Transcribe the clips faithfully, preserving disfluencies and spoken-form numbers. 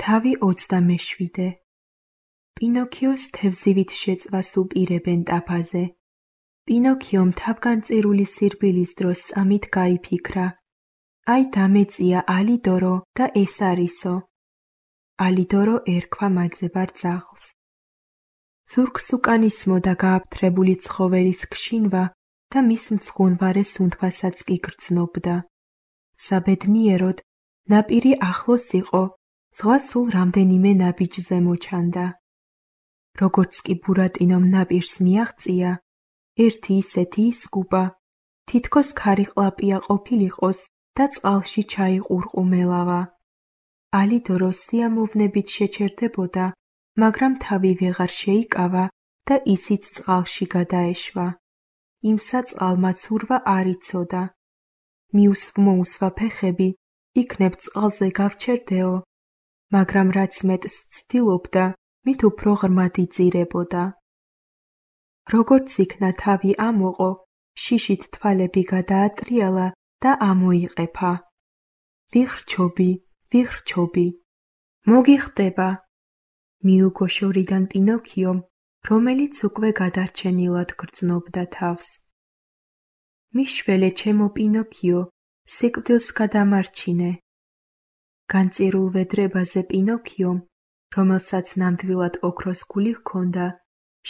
თავი ოცდამეშვიდე. პინოქიოს თევზივით შეწვას უპირებენ ტაფაზე. პინოქიომ თავგანწირული სირბილის დროს წამით გაიფიქრა: აი დამეწია ალიდორო და ეს არისო. ალიდორო ერქვა მაძებარ ძაღლს. ზურგს უკანისმოდა გააფთრებული ცხოველის გშინვა და მის მძღუნვარე სუნთქვასაც კი გრძნობდა. საბედნიეროდ, ნაპირი ახლოს იყო, ზღვა სულ რამდენიმე ნაბიჯზე მოჩანდა. როგორც კი ბურატინომ ნაპირს მიაღწია, ერთი ისეთი ისკუპა, თითქოს ქარიყლაპია ყოფილიყოს და წყალში ჩაიყურყუმელავა. ალიდორო სიამოვნებით შეჩერდებოდა, მაგრამ თავი ვეღარ შეიკავა და ისიც წყალში გადაეშვა. იმსა წყალმა ცურვა არ იცოდა. მიუსვმოუსვა ფეხები, იქნებ წყალზე გავჩერდეო, მაგრამ რაც მეტს ცდილობდა, მით უფრო ღრმად იძირებოდა. როგორც იქნა თავი ამოყო, შიშით თვალები გადაატრიალა და ამოიყეფა. ვიხრჩობი, ვიხრჩობი, მოგიხდება, მიუგო შორიდან პინოქიომ, რომელიც უკვე გადარჩენილად გრძნობდა თავს. მიშველე ჩემო პინოქიო, სიკვდილს გადამარჩინე. განწირულ ვედრებაზე პინოქიომ, რომელსაც ნამდვილად ოქროს გული ჰქონდა,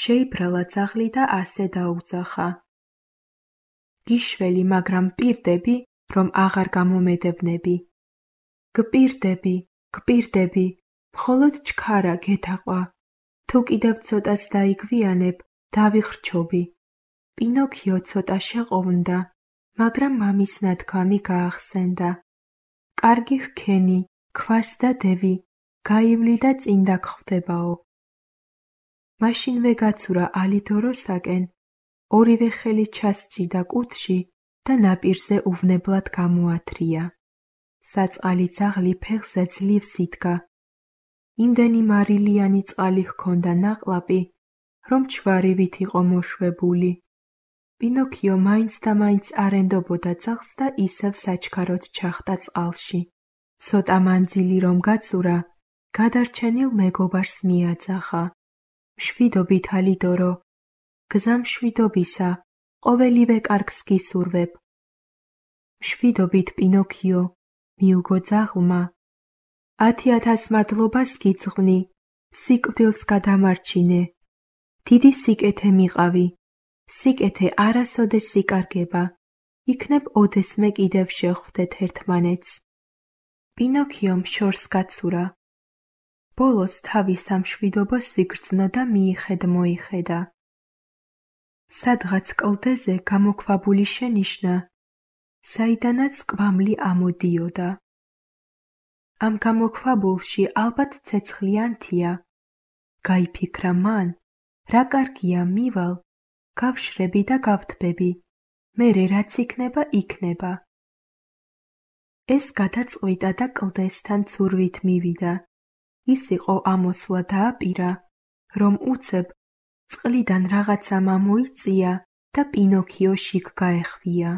შეიბრალა ძაღლი და ასე დაუძახა: გიშველი, მაგრამ პირდები, რომ აღარ გამომედევნები. გპირდები, გპირდები, მხოლოდ ჩქარა გეთაყვა. თუ კიდევ ცოტას დაიგვიანებ, დავიხრჩობი. პინოქიო ცოტა შეყოვნდა, მაგრამ მამის ნათქვამი გაახსენდა: კარგი ჰქენი, ქვას და დევი, გაივლი და წინ დაგხვდებაო. მაშინვე გაცურა ალიდოროსაკენ, ორივე ხელი ჩასჯიდა კუდში და ნაპირზე უვნებლად გამოათრია. საწყალი ძაღლი ფეხზე ძლივს იდგა. იმდენი მარილიანი წყალი ჰქონდა ნაყლაპი, რომ ჩვარივით იყო მოშვებული. პინოქიო მაინც და მაინც არ ენდობოდა ძაღლს და ისევ საჩქაროდ ჩახტა წყალში. ცოტა მანძილი რომ გაცურა, გადარჩენილ მეგობარს მიაძახა: მშვიდობით ალიდორო, გზა მშვიდობისა, ყოველივე კარგს გისურვებ. მშვიდობით პინოქიო, მიუგო ძაღლმა, ათი ათას მადლობას გიძღვნი, სიკვდილს გადამარჩინე. დიდი სიკეთე მიყავი, სიკეთე არასოდეს იკარგება, იქნებ ოდესმე კიდევ შევხვდეთ ერთმანეთს. პინოქიომ შორს გაცურა. ბოლოს თავის სამშვიდობო სიგრძნო და მიიხედ მოიხედა. სადღაც კლდეზე გამოქვაბული შენიშნა, საიდანაც კვამლი ამოდიოდა. ამ გამოქვაბულში ალბათ ცეცხლიანთია. გაიფიქრა მან, რა კარგია, მივალ, გავშრები და გავთბები, მერე რაც იქნება, იქნება. ეს გადაწყვიტა და კლდესთან ცურვით მივიდა. ის იყო ამოსვლა დააპირა, რომ უცებ წყლიდან რაღაცა მომოიწია და პინოქიო შიგ გაეხვია.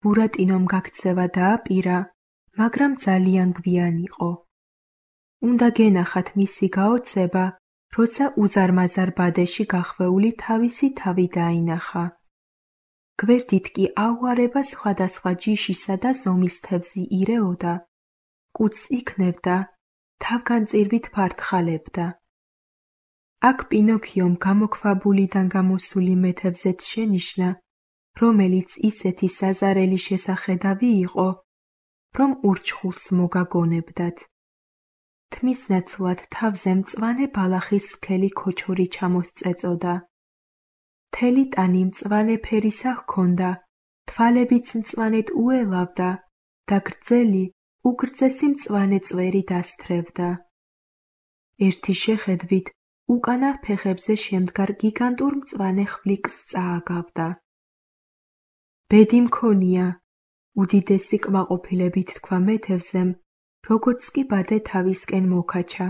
ბურატინომ გაქცევა დააპირა, მაგრამ ძალიან გვიან იყო. უნდა გენახათ მისი გაოცება, როცა უზარმაზარ ბადეში გახვეული თავისი თავი დაინახა. გვერდით კი აუარება სხვადასხვა ჯიშისა და ზომის თევზი ირეოდა, კუდს იქნებდა, თავგანწირვით ფართხალებდა. აქ პინოქიომ გამოქვაბულიდან გამოსული მეთევზეც შენიშნა, რომელიც ისეთი საზარელი შესახედავი იყო, რომ ურჩხულს მოგაგონებდათ. თმის ნაცვლად თავზე მწვანე ბალახის სქელი ქოჩორი ჩამოსწეწოდა. მთელი ტანი მწვანე ფერისა ჰქონდა, თვალებიც მწვანედ უელავდა და გრძელი, უგრძესი მწვანე წვერი დასთრევდა. ერთი შეხედვით უკანა ფეხებზე შემდგარ გიგანტურ მწვანე ხვლიკს წააგავდა. ბედი მქონია, უდიდესი კმაყოფილებით თქვა მეთევზემ, როგორც კი ბადე თავისკენ მოკაჩა.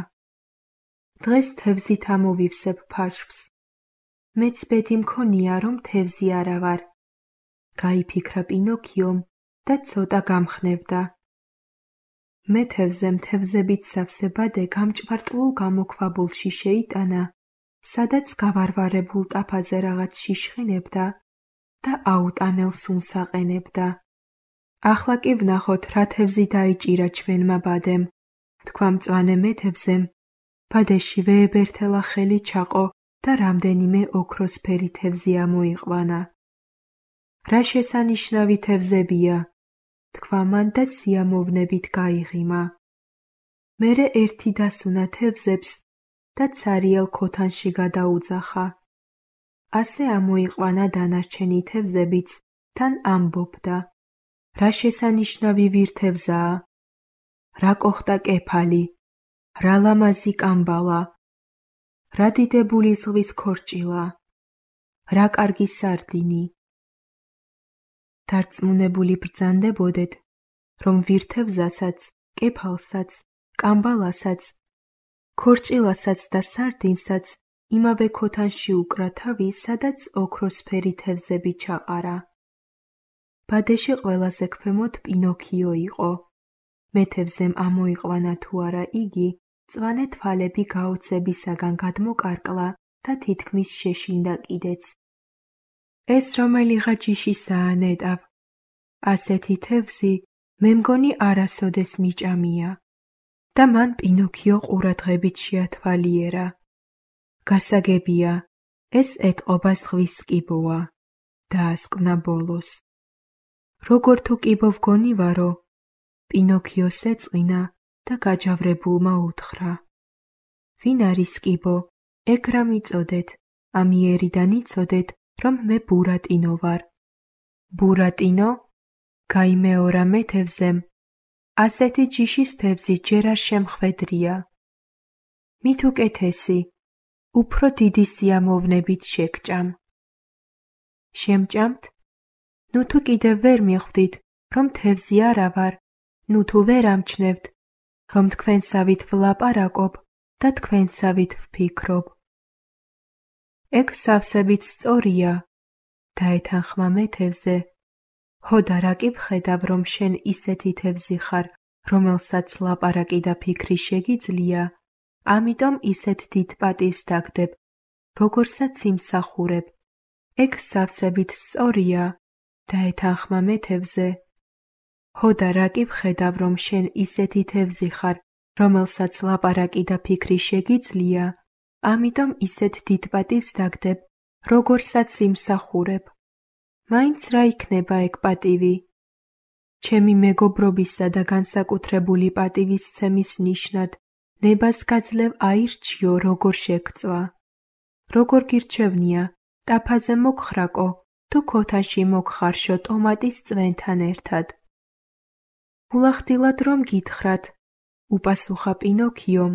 დღეს თევზით ამოვივსებ ფარშვს. მეც ბედი მქონია, რომ თევზი არა ვარ. გაიფიქრა პინოქიომ და ცოტა გამხნევდა. მე თევზემ თევზებით სავსე ბადე გამჭვარტლულ გამოქვაბულში შეიტანა, სადაც გავარვარებულ ტაფაზე რაღაც შიშხინებდა და აუტანელ სუნს აყენებდა. ახლა კი ვნახოთ, რა თევზი დაიჭირა ჩვენმა ბადემ, თქვა მწვანე მეთევზემ. ბადეში ვეებერთელა ხელი ჩაყო და რამდენიმე ოქროსფერი თევზი ამოიყვანა. რა შესანიშნავი თევზებია, თქვა მან და სიამოვნებით გაიღიმა. მერე ერთი დასუნა თევზებს და ცარიელ ქოთანში გადაუძახა. ასე ამოიყვანა დანარჩენი თევზებიც, თან ამბობდა, რა შესანიშნავი ვირთევზაა, რა კოხტა კეფალი, რა ლამაზი კამბალა, რა დიდებული ზღვის ქორჭილა, რა კარგი სარდინი. დარწმუნებული ბრძანდებოდეთ, რომ ვირთევზასაც, კეფალსაც, კამბალასაც, ქორჭილასაც და სარდინსაც იმავე ქოთანში უკრა თავი, სადაც ოქროსფერი თევზები ჩაყარა. ბადეში ყველაზე ქვემოთ პინოქიო იყო. მეთევზემ ამოიყვანა თუ არა იგი, მწვანე თვალები გაოცებისაგან გადმოკარკლა და თითქმის შეშინდა კიდეც. ეს რომელიღა ჯიშისაა, ნეტავ. ასეთი თევზი მე მგონი არასოდეს მიჭამია. და მან პინოქიო ყურადღებით შეათვალიერა. გასაგებია, ეს ეტყობა ზღვის კიბოა, დაასკვნა ბოლოს. როგორ თუ კიბო ვგონივარო, პინოქიოს ეწყინა და გაჯავრებულმა უთხრა. ვინ არის კიბო, ეგ რა მიწოდეთ, ამიერიდან იცოდეთ, რომ მე ბურატინო ვარ. ბურატინო? გაიმეორა მეთევზემ, ასეთი ჯიშის თევზი ჯერ არ შემხვედრია. მით უკეთესი, უფრო დიდი სიამოვნებით შეგჭამ. შემჭამთ? ნუ თუ კიდევ ვერ მიხვდით, რომ თევზი არა ვარ, ნუ თუ ვერ ამჩნევთ, რომ თქვენსავით ვლაპარაკობ და თქვენსავით ვფიქრობ. ეგ სავსებით სწორია, დაეთანხმა მეთევზე. ჰოდა რა კი ვხედავ, რომ შენ ისეთი თევზი ხარ, რომელსაც ლაპარაკი და ფიქრი შეგიძლია, ამიტომ ისეთ დიდ პატივს დაგდებ, როგორსაც იმსახურებ. ეგ სავსებით სწორია, დაეთანხმა მეთევზე. ჰოდა რა კი ვხედავ, რომ შენ ისეთი თევზი ხარ, რომელსაც ლაპარაკი და ფიქრი შეგიძლია, ამიტომ ისეთ დიდ პატივს დაგდებ, როგორსაც იმსახურებ. მაინც რა იქნება ეგ პატივი? ჩემი მეგობრობისა და განსაკუთრებული პატივისცემის ნიშნად ნებას გაძლევ აირჩიო, როგორ შეგწვა. როგორ გირჩევნია, ტაფაზე მოგხრაკო, თუ ქოთანში მოგხარშო ტომატის წვენთან ერთად. ულახდილად რომ გითხრათ, უპასუხა პინოქიომ,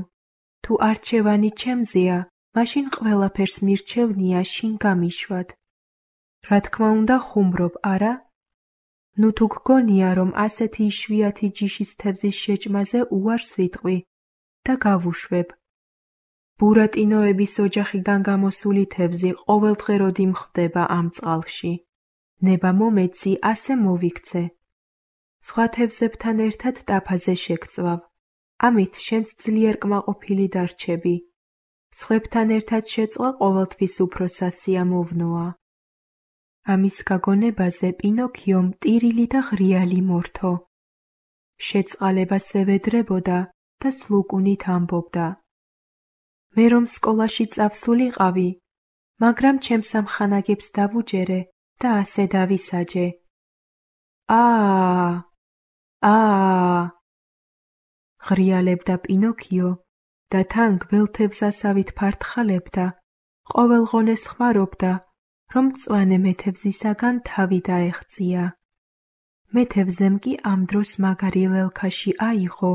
თუ არჩევანი ჩემზეა, მაშინ ყველაფერს მირჩევნია შინ გამიშვად. რა თქმა უნდა ხუმრობ, არა? ნუ თუ გგონია, რომ ასეთი იშვიათი ჯიშის თევზის შეჭმაზე უარს ვიტყვი და გავუშვებ. ბურატინოების ოჯახიდან გამოსული თევზი ყოველდღე მხვდება ამ წყალში. ნება მომეცი, ასე მოვიქცე. სხვა თევზებთან ერთად ტაფაზე შეგწვავ. ამით შენც ძლიერ კმაყოფილი დარჩები. სხვებთან ერთად შეწყვა ყოველთვის უფრო სასიამოვნოა. ამის გაგონებაზე პინოქიომ ტირილი და ღრიალი მორთო. შეწყალებას ევედრებოდა და სლუკუნით ამბობდა. მე რომ სკოლაში წავსულიყავი, მაგრამ ჩემს ამხანაგებს დავუჯერე და ასე დავისაჯე. აა, აა, ღრიალებდა პინოქიო და თან გველთევზასავით ფართხალებდა, ყოველღონეს ხვარობდა, რომ მწვანე მეთევზისაგან თავი დაეღწია. მეთევზემ კი ამ დროს მაგარი ლელქაში აიღო.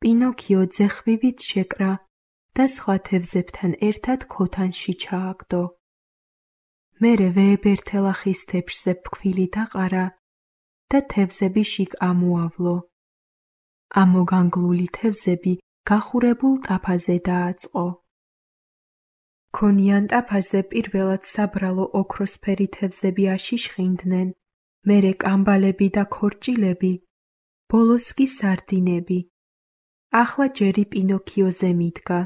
პინოქიო ძეხვივით შეკრა და სხვა თევზებთან ერთად ქოთანში ჩააგდო. მერე ვეებერთელა ხის თეფშზე ფქვილი დაყარა და თევზები შიგ ამოავლო. ამოგანგლული თევზები გახურებულ ტაფაზე დააწყო. ქონიან ტაფაზე პირველად საბრალო ოქროსფერი თევზები აშიშხინდნენ, მერე კამბალები და ქორჭილები, ბოლოს კი სარდინები. ახლა ჯერი პინოქიოზე მიდგა.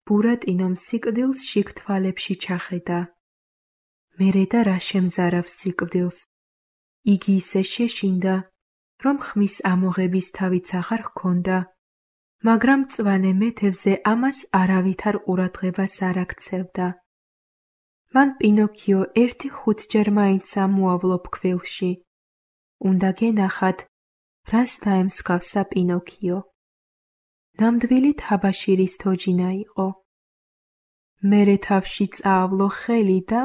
ბურატინომ სიკვდილს შიგ თვალებში ჩახედა. მერე და რა შემზარავს სიკვდილს. იგი ისე შეშინდა, რომ ხმის ამოღების თავიც აღარ ჰქონდა, მაგრამ მწვანე მეთევზე ამას არავითარ ყურადღებას არ აქცევდა. მან პინოქიო ერთი ხუთჯერ მაინც ამოავლო ფქვილში. უნდა გენახათ, რას დაემსგავსა პინოქიო. ნამდვილი თაბაშირის თოჯინა იყო. მერე თავში წაავლო ხელი და